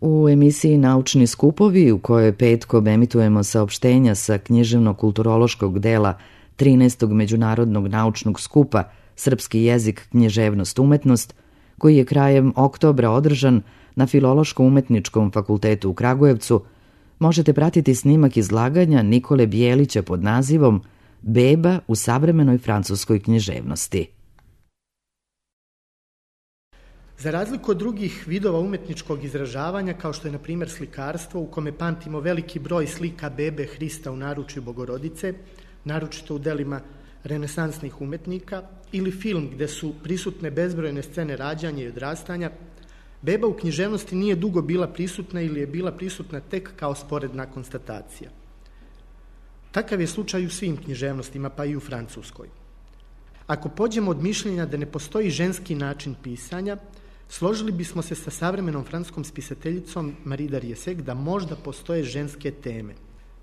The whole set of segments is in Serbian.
U emisiji Naučni skupovi, u kojoj petkom emitujemo saopštenja sa književno-kulturološkog dela 13. Međunarodnog naučnog skupa Srpski jezik, književnost, umetnost, koji je krajem oktobra održan na Filološko-umetničkom fakultetu u Kragujevcu, možete pratiti snimak izlaganja Nikole Bijelića pod nazivom Beba u savremenoj francuskoj književnosti. Za razliku od drugih vidova umetničkog izražavanja, kao što je, na primjer, slikarstvo, u kome pamtimo veliki broj slika bebe Hrista u naručju Bogorodice, naročito u delima renesansnih umetnika, ili film gde su prisutne bezbrojne scene rađanja i odrastanja, beba u književnosti nije dugo bila prisutna ili je bila prisutna tek kao sporedna konstatacija. Takav je slučaj u svim književnostima, pa i u francuskoj. Ako pođemo od mišljenja da ne postoji ženski način pisanja, složili bismo se sa savremenom francuskom spisateljicom Marie d'Ariessec da možda postoje ženske teme,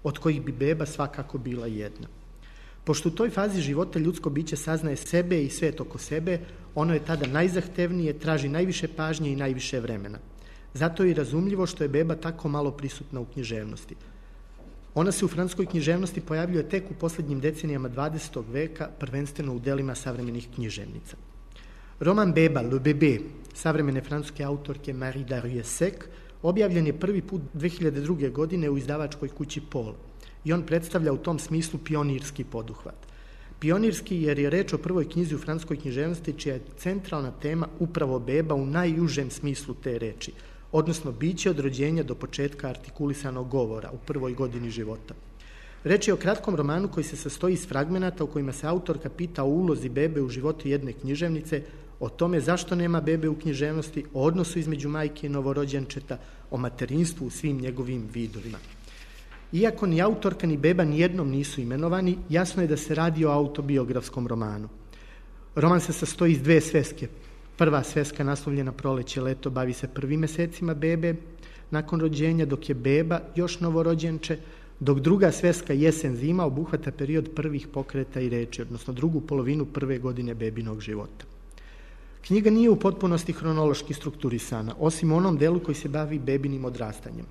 od kojih bi beba svakako bila jedna. Pošto u toj fazi života ljudsko biće saznaje sebe i svet oko sebe, ono je tada najzahtevnije, traži najviše pažnje i najviše vremena. Zato je i razumljivo što je beba tako malo prisutna u književnosti. Ona se u francuskoj književnosti pojavljuje tek u posljednjim decenijama 20. veka, prvenstveno u delima savremenih književnica. Roman Beba, Le Bébé, savremene francuske autorke Marie d'Ariessec, objavljen je prvi put 2002. godine u izdavačkoj kući Paul i on predstavlja u tom smislu pionirski poduhvat. Pionirski jer je reč o prvoj knjizi u francuskoj književnosti čija je centralna tema upravo beba u najužem smislu te reči, odnosno biće od rođenja do početka artikulisanog govora u prvoj godini života. Reč je o kratkom romanu koji se sastoji iz fragmenata u kojima se autorka pita o ulozi bebe u životu jedne književnice, o tome zašto nema bebe u književnosti, o odnosu između majke i novorođenčeta, o materinstvu u svim njegovim vidovima. Iako ni autorka ni beba nijednom nisu imenovani, jasno je da se radi o autobiografskom romanu. Roman se sastoji iz dve sveske. Prva sveska, naslovljena Proleće, leto, bavi se prvim mesecima bebe nakon rođenja, dok je beba još novorođenče, dok druga sveska, Jesen, zima, obuhvata period prvih pokreta i reči, odnosno drugu polovinu prve godine bebinog života. Knjiga nije u potpunosti hronološki strukturisana, osim u onom delu koji se bavi bebinim odrastanjem.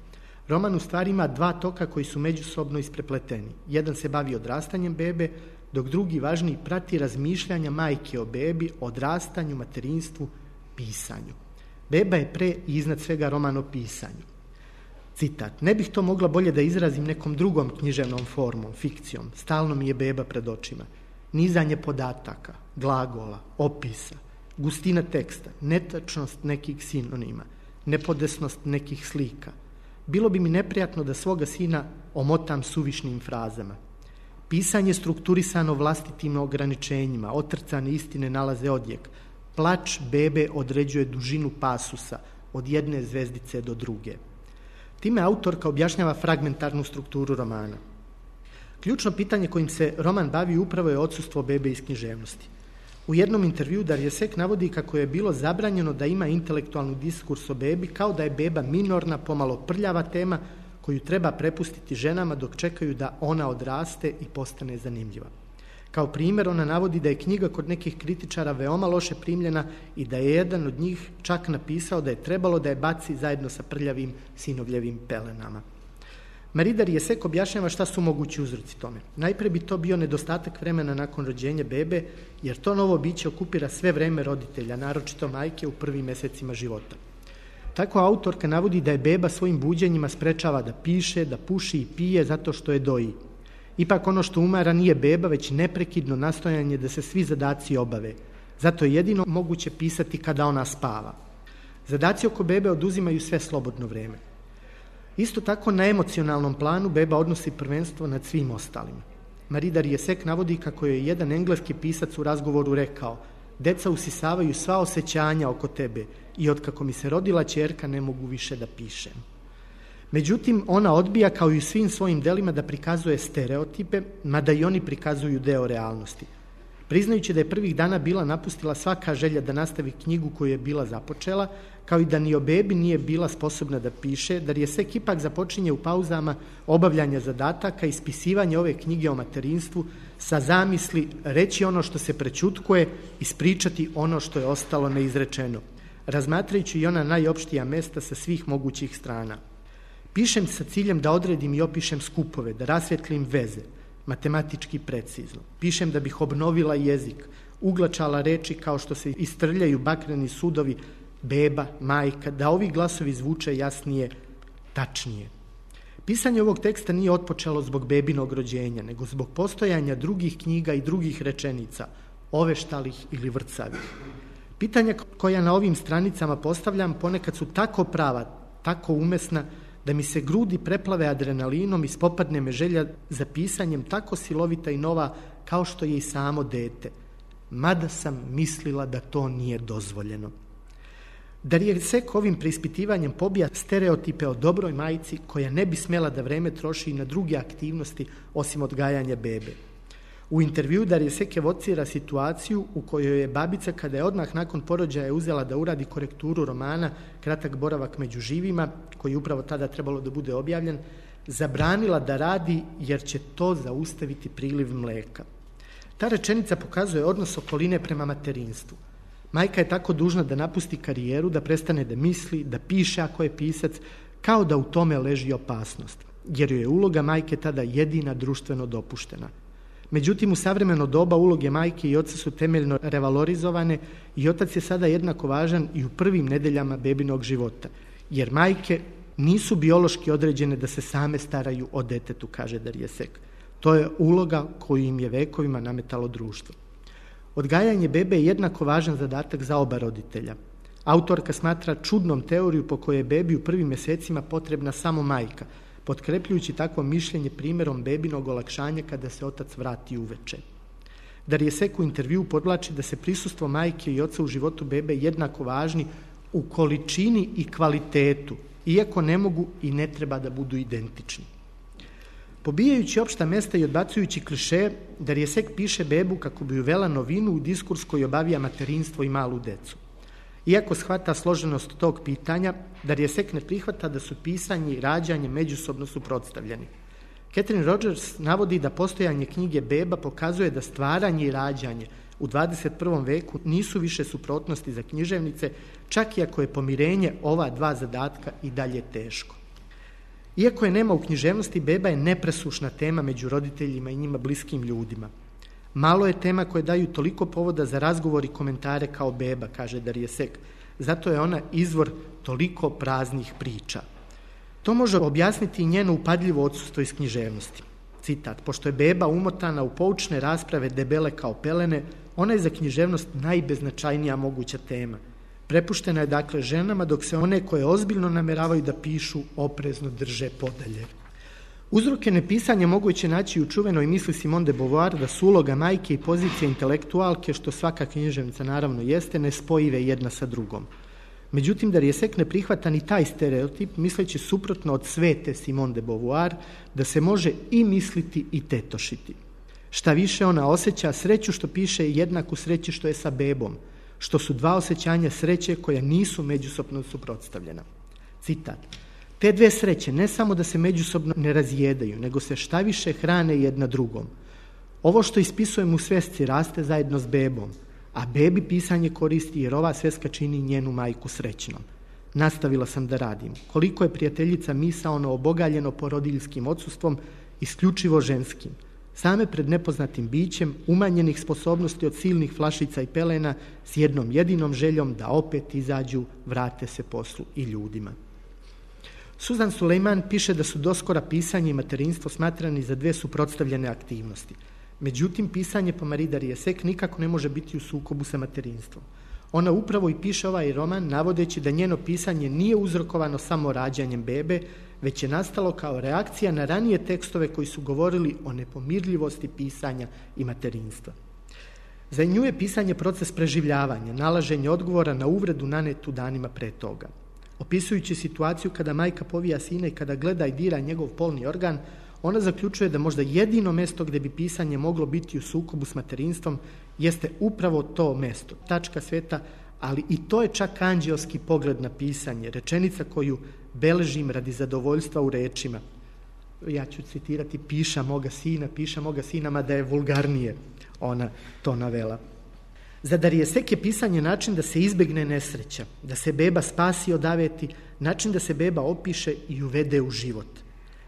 Roman u stvari ima dva toka koji su međusobno isprepleteni. Jedan se bavi odrastanjem bebe, dok drugi, važniji, prati razmišljanja majke o bebi, odrastanju, materinstvu, pisanju. Beba je pre i iznad svega roman o pisanju. Citat: ne bih to mogla bolje da izrazim nekom drugom književnom formom, fikcijom. Stalno mi je beba pred očima. Nizanje podataka, glagola, opisa, gustina teksta, netačnost nekih sinonima, nepodesnost nekih slika. Bilo bi mi neprijatno da svoga sina omotam suvišnim frazama. Pisanje strukturisano vlastitim ograničenjima, otrcane istine nalaze odjek. Plač bebe određuje dužinu pasusa od jedne zvezdice do druge. Time autorka objašnjava fragmentarnu strukturu romana. Ključno pitanje kojim se roman bavi upravo je odsustvo bebe iz književnosti. U jednom intervjuu d'Ariessec navodi kako je bilo zabranjeno da ima intelektualni diskurs o bebi, kao da je beba minorna, pomalo prljava tema koju treba prepustiti ženama dok čekaju da ona odraste i postane zanimljiva. Kao primjer ona navodi da je knjiga kod nekih kritičara veoma loše primljena i da je jedan od njih čak napisao da je trebalo da je baci zajedno sa prljavim sinovljevim pelenama. Marie d'Ariessec objašnjava šta su mogući uzroci tome. Najpre bi to bio nedostatak vremena nakon rođenja bebe, jer to novo biće okupira sve vreme roditelja, naročito majke u prvim mesecima života. Tako autorka navodi da je beba svojim buđenjima sprečava da piše, da puši i pije zato što je doji. Ipak ono što umara nije beba, već neprekidno nastojanje da se svi zadaci obave. Zato je jedino moguće pisati kada ona spava. Zadaci oko bebe oduzimaju sve slobodno vreme. Isto tako na emocionalnom planu beba odnosi prvenstvo nad svim ostalima. Marie d'Ariessec navodi kako je jedan engleski pisac u razgovoru rekao: deca usisavaju sva osjećanja oko tebe i otkako mi se rodila ćerka ne mogu više da pišem. Međutim, ona odbija kao i u svim svojim delima da prikazuje stereotipe, mada i oni prikazuju deo realnosti. Priznajući da je prvih dana bila napustila svaka želja da nastavi knjigu koju je bila započela, kao i da ni o bebi nije bila sposobna da piše, d'Ariessec ipak započinje u pauzama obavljanja zadataka i ispisivanja ove knjige o materinstvu sa zamisli reći ono što se prećutkuje, ispričati ono što je ostalo neizrečeno. razmatrajući i ona najopštija mesta sa svih mogućih strana. Pišem sa ciljem da odredim i opišem skupove, da rasvjetlim veze, matematički precizno. Pišem da bih obnovila jezik, uglačala reči kao što se istrljaju bakreni sudovi beba, majka, da ovi glasovi zvuče jasnije, tačnije. Pisanje ovog teksta nije otpočelo zbog bebinog rođenja, nego zbog postojanja drugih knjiga i drugih rečenica, oveštalih ili vrcavih. Pitanja koja na ovim stranicama postavljam ponekad su tako prava, tako umesna, da mi se grudi preplave adrenalinom i spopadne me želja za pisanjem tako silovita i nova kao što je i samo dete. Mada sam mislila da to nije dozvoljeno. Darija Sek ovim preispitivanjem pobija stereotipe o dobroj majci koja ne bi smjela da vreme troši na druge aktivnosti osim odgajanja bebe. U intervju Darija Sek evocira situaciju u kojoj je babica, kada je odmah nakon porođaja uzela da uradi korekturu romana Kratak boravak među živima, koji je upravo tada trebalo da bude objavljen, zabranila da radi jer će to zaustaviti priliv mleka. Ta rečenica pokazuje odnos okoline prema materinstvu. Majka je tako dužna da napusti karijeru, da prestane da misli, da piše ako je pisac, kao da u tome leži opasnost, jer joj je uloga majke tada jedina društveno dopuštena. Međutim, u savremeno doba uloge majke i oca su temeljno revalorizovane i otac je sada jednako važan i u prvim nedeljama bebinog života, jer majke nisu biološki određene da se same staraju o detetu, kaže Darija Sek. To je uloga koju im je vekovima nametalo društvo. Odgajanje bebe je jednako važan zadatak za oba roditelja. Autorka smatra čudnom teoriju po kojoj je bebi u prvim mjesecima potrebna samo majka, potkrepljujući takvo mišljenje primjerom bebinog olakšanja kada se otac vrati uveče. Darija Sek u intervju podvlači da se prisustvo majke i oca u životu bebe jednako važni u količini i kvalitetu, iako ne mogu i ne treba da budu identični. Pobijajući opšta mesta i odbacujući klišeje, Darija Sek piše bebu kako bi uvela novinu u diskurs koji obavija materinstvo i malu decu. Iako shvata složenost tog pitanja, Darija Sek ne prihvata da su pisanje i rađanje međusobno suprotstavljeni. Catherine Rogers navodi da postojanje knjige Beba pokazuje da stvaranje i rađanje u 21. veku nisu više suprotnosti za književnice, čak i ako je pomirenje ova dva zadatka i dalje teško. Iako je nema u književnosti, beba je nepresušna tema među roditeljima i njima bliskim ljudima. Malo je tema koje daju toliko povoda za razgovor i komentare kao beba, kaže Darija Sek. Zato je ona izvor toliko praznih priča. To može objasniti i njeno upadljivo odsustvo iz književnosti. Citat: pošto je beba umotana u poučne rasprave debele kao pelene, ona je za književnost najbeznačajnija moguća tema. Prepuštena je dakle ženama, dok se one koje ozbiljno nameravaju da pišu oprezno drže podalje. Uzroke nepisanja moguće naći u čuvenoj misli Simone de Beauvoir da su uloga majke i pozicija intelektualke, što svaka književnica naravno jeste, nespojive jedna sa drugom. Međutim, Darija Sek ne prihvata ni taj stereotip, misleći suprotno od svete Simone de Beauvoir, da se može i misliti i tetošiti. Šta više, ona osjeća sreću što piše jednaku sreći što je sa bebom, što su dva osjećanja sreće koja nisu međusobno suprotstavljena. Citat: te dve sreće ne samo da se međusobno ne razjedaju, nego se šta više hrane jedna drugom. Ovo što ispisujem u svesci raste zajedno s bebom, a bebi pisanje koristi jer ova sveska čini njenu majku srećnom. Nastavila sam da radim. Koliko je prijateljica misaono obogaljeno porodiljskim odsustvom, isključivo ženskim. Same pred nepoznatim bićem, umanjenih sposobnosti od silnih flašica i pelena, s jednom jedinom željom da opet izađu, vrate se poslu i ljudima. Suzan Sulejman piše da su doskora pisanje i materinstvo smatrani za dve suprotstavljene aktivnosti. Međutim, pisanje po Marie Darije Sek nikako ne može biti u sukobu sa materinstvom. Ona upravo i piše ovaj roman navodeći da njeno pisanje nije uzrokovano samo rađanjem bebe, već je nastalo kao reakcija na ranije tekstove koji su govorili o nepomirljivosti pisanja i materinstva. Za nju je pisanje proces preživljavanja, nalaženje odgovora na uvredu nanetu danima pre toga. Opisujući situaciju kada majka povija sina i kada gleda i dira njegov polni organ, ona zaključuje da možda jedino mesto gdje bi pisanje moglo biti u sukobu s materinstvom jeste upravo to mesto, tačka sveta, ali i to je čak anđelski pogled na pisanje, rečenica koju beležim radi zadovoljstva u rečima. Ja ću citirati: piša moga sina, mada je vulgarnije ona to navela. Za Darrieussecq je pisanje način da se izbegne nesreća, da se beba spasi od aveti, način da se beba opiše i uvede u život.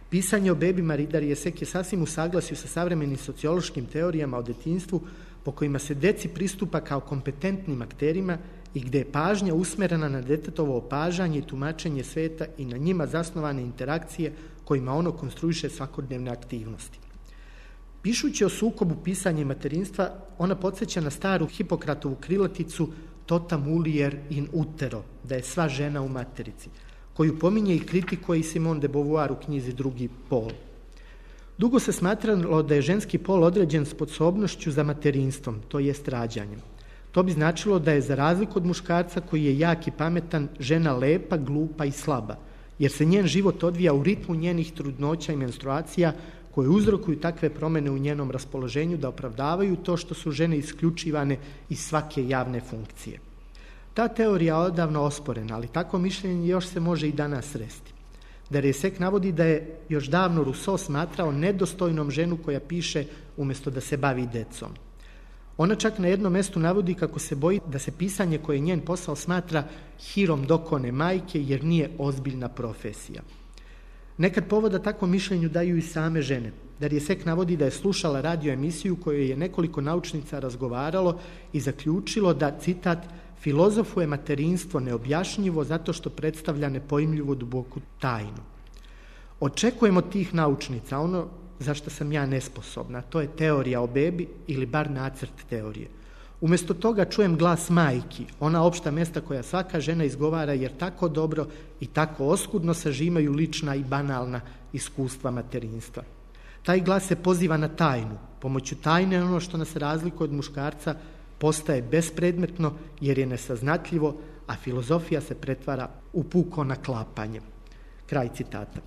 Pisanje o bebi Marie Darrieussecq je sasvim u saglasju sa savremenim sociološkim teorijama o detinjstvu po kojima se deci pristupa kao kompetentnim akterima i gde je pažnja usmerena na detetovo opažanje i tumačenje sveta i na njima zasnovane interakcije kojima ono konstruiše svakodnevne aktivnosti. Pišući o sukobu pisanja i materinstva, ona podsjeća na staru Hipokratovu krilaticu tota mulier in utero, da je sva žena u materici, koju pominje i kritikuje i Simone de Beauvoir u knjizi Drugi pol. Dugo se smatralo da je ženski pol određen sposobnošću za materinstvom, to jest rađanjem. To bi značilo da je, za razliku od muškarca koji je jak i pametan, žena lepa, glupa i slaba, jer se njen život odvija u ritmu njenih trudnoća i menstruacija koje uzrokuju takve promjene u njenom raspoloženju da opravdavaju to što su žene isključivane iz svake javne funkcije. Ta teorija je odavno osporena, ali takvo mišljenje još se može i danas sresti. Darrieussecq navodi da je još davno Rousseau smatrao nedostojnom ženu koja piše umjesto da se bavi decom. Ona čak na jednom mjestu navodi kako se boji da se pisanje koje je njen posao smatra hirom dokone majke jer nije ozbiljna profesija. Nekad povoda takvom mišljenju daju i same žene. Darrieussecq navodi da je slušala radio emisiju kojoj je nekoliko naučnica razgovaralo i zaključilo da, citat, filozofuje materinstvo neobjašnjivo zato što predstavlja nepojmljivu duboku tajnu. Očekujemo tih naučnica ono za što sam ja nesposobna, to je teorija o bebi ili bar nacrt teorije. Umjesto toga čujem glas majki, ona opšta mjesta koja svaka žena izgovara jer tako dobro i tako oskudno sažimaju lična i banalna iskustva materinstva. Taj glas se poziva na tajnu. Pomoću tajne ono što nas razlikuje od muškarca postaje bespredmetno jer je nesaznatljivo, a filozofija se pretvara u puko naklapanje. Kraj citata.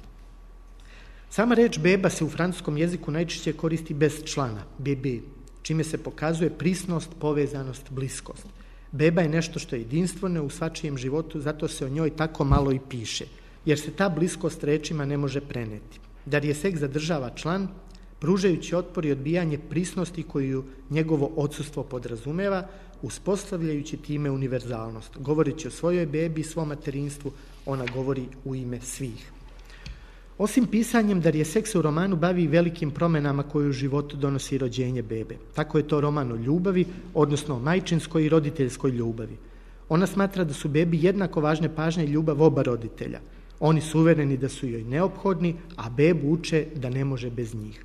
Sama reč beba se u francuskom jeziku najčešće koristi bez člana, bébé, čime se pokazuje prisnost, povezanost, bliskost. Beba je nešto što je jedinstveno u svačijem životu, zato se o njoj tako malo i piše, jer se ta bliskost rečima ne može preneti. Darrieussecq zadržava član, pružajući otpor i odbijanje prisnosti koju njegovo odsustvo podrazumeva, uspostavljajući time univerzalnost. Govoreći o svojoj bebi i svom materinstvu, ona govori u ime svih. Osim pisanjem, Darrieussecq se u romanu bavi velikim promjenama koje u životu donosi rođenje bebe. Tako je to roman o ljubavi, odnosno o majčinskoj i roditeljskoj ljubavi. Ona smatra da su bebi jednako važne pažnje i ljubav oba roditelja. Oni su uvereni da su joj neophodni, a bebu uče da ne može bez njih.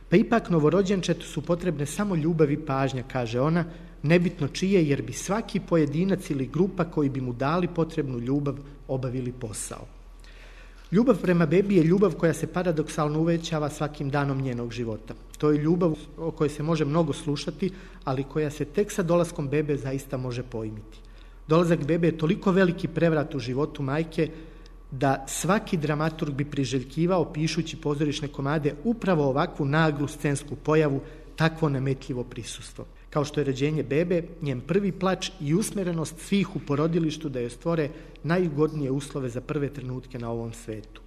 Pa ipak novorođenčetu su potrebne samo ljubav i pažnja, kaže ona, nebitno čije, jer bi svaki pojedinac ili grupa koji bi mu dali potrebnu ljubav obavili posao. Ljubav prema bebi je ljubav koja se paradoksalno uvećava svakim danom njenog života. To je ljubav o kojoj se može mnogo slušati, ali koja se tek sa dolaskom bebe zaista može pojmiti. Dolazak bebe je toliko veliki prevrat u životu majke da svaki dramaturg bi priželjkivao, pišući pozorišne komade, upravo ovakvu naglu scensku pojavu, takvo nametljivo prisustvo. Kao što je rođenje bebe, njen prvi plač i usmjerenost svih u porodilištu da joj stvore najugodnije uslove za prve trenutke na ovom svetu.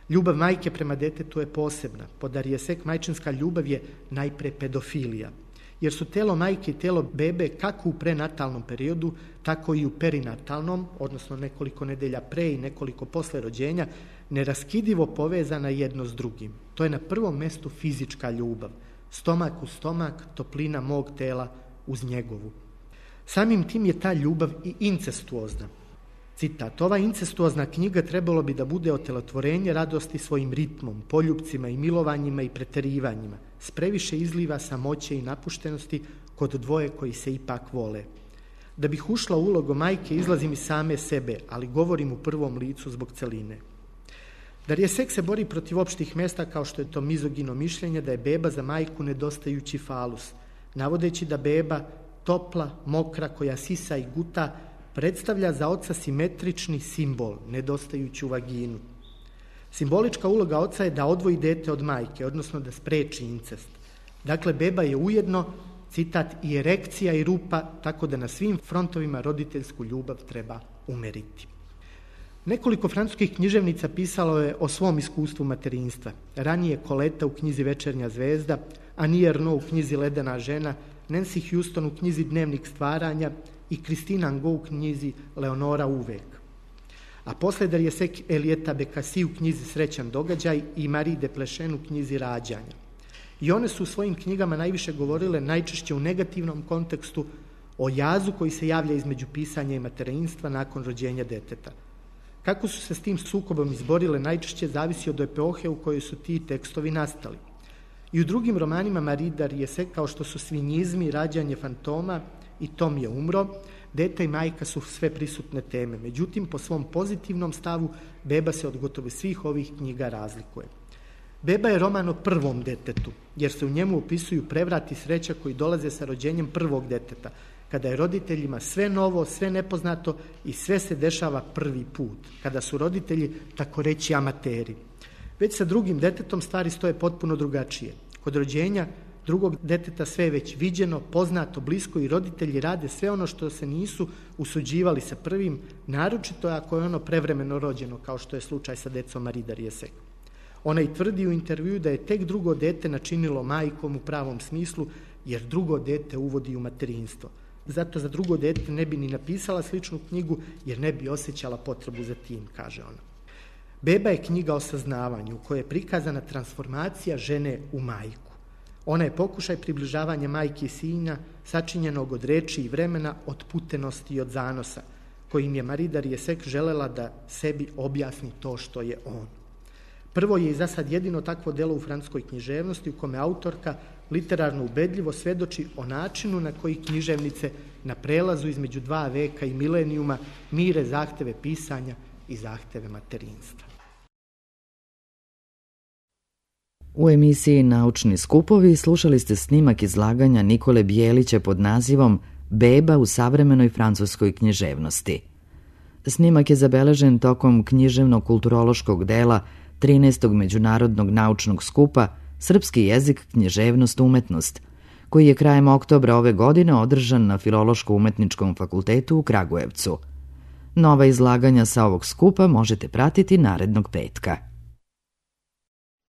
Ljubav majke prema detetu je posebna. Po Darrieussecq majčinska ljubav je najpre pedofilija, jer su telo majke i telo bebe kako u prenatalnom periodu, tako i u perinatalnom, odnosno nekoliko nedelja pre i nekoliko posle rođenja, neraskidivo povezana jedno s drugim. To je na prvom mjestu fizička ljubav. Stomak u stomak, toplina mog tela uz njegovu. Samim tim je ta ljubav i incestuozna. Citat, ova incestuozna knjiga trebalo bi da bude otelotvorenje radosti svojim ritmom, poljupcima i milovanjima i preterivanjima, s previše izliva samoće i napuštenosti kod dvoje koji se ipak vole. Da bih ušla u ulogu majke, izlazim iz same sebe, ali govorim u prvom licu zbog celine. Darrieussecq se bori protiv opštih mjesta kao što je to mizogino mišljenje da je beba za majku nedostajući falus, navodeći da beba, topla, mokra, koja sisa i guta, predstavlja za oca simetrični simbol, nedostajuću vaginu. Simbolička uloga oca je da odvoji dete od majke, odnosno da spreči incest. Dakle, beba je ujedno, citat, i erekcija i rupa, tako da na svim frontovima roditeljsku ljubav treba umeriti. Nekoliko francuskih književnica pisalo je o svom iskustvu materinstva. Ranije Coletta u knjizi Večernja zvezda, Annie Ernaux u knjizi Ledena žena, Nancy Houston u knjizi Dnevnik stvaranja i Christine Angot u knjizi Leonora uvek. A posle Darrieussecq Elieta Bekasi u knjizi Srećan događaj i Marie Desplechin u knjizi Rađanja. I one su u svojim knjigama najviše govorile, najčešće u negativnom kontekstu, o jazu koji se javlja između pisanja i materinstva nakon rođenja deteta. Kako su se s tim sukobom izborile, najčešće zavisi od epohe u kojoj su ti tekstovi nastali. I u drugim romanima Marie Darrieussecq, kao što su Svinjizmi, Rađanje fantoma i Tom je umro, dete i majka su sve prisutne teme. Međutim, po svom pozitivnom stavu, Beba se od gotovo svih ovih knjiga razlikuje. Beba je roman o prvom detetu, jer se u njemu opisuju prevrat i sreća koji dolaze sa rođenjem prvog deteta, kada je roditeljima sve novo, sve nepoznato i sve se dešava prvi put, kada su roditelji tako reći amateri. Već sa drugim detetom stvari stoje potpuno drugačije. Kod rođenja drugog deteta sve je već viđeno, poznato, blisko i roditelji rade sve ono što se nisu usuđivali sa prvim, naročito ako je ono prevremeno rođeno, kao što je slučaj sa decom Marie Darrieussecq. Ona i tvrdi u intervjuu da je tek drugo dete načinilo majkom u pravom smislu, jer drugo dete uvodi u materinstvo. Zato za drugo dete ne bi ni napisala sličnu knjigu, jer ne bi osjećala potrebu za tim, kaže ona. Beba je knjiga o saznavanju, u kojoj je prikazana transformacija žene u majku. Ona je pokušaj približavanja majke i sina, sačinjenog od reči i vremena, od putenosti i od zanosa, kojim je Marie Darrieussecq želela da sebi objasni to što je on. Prvo je i za sad jedino takvo delo u francuskoj književnosti u kome autorka literarno ubedljivo svedoči o načinu na koji književnice na prelazu između dva veka i milenijuma mire zahteve pisanja i zahteve materinstva. U emisiji Naučni skupovi slušali ste snimak izlaganja Nikole Bijelića pod nazivom Beba u savremenoj francuskoj književnosti. Snimak je zabeležen tokom književno-kulturološkog dela 13. međunarodnog naučnog skupa Srpski jezik, književnost, umetnost, koji je krajem oktobra ove godine održan na Filološko-umetničkom fakultetu u Kragujevcu. Nova izlaganja sa ovog skupa možete pratiti narednog petka.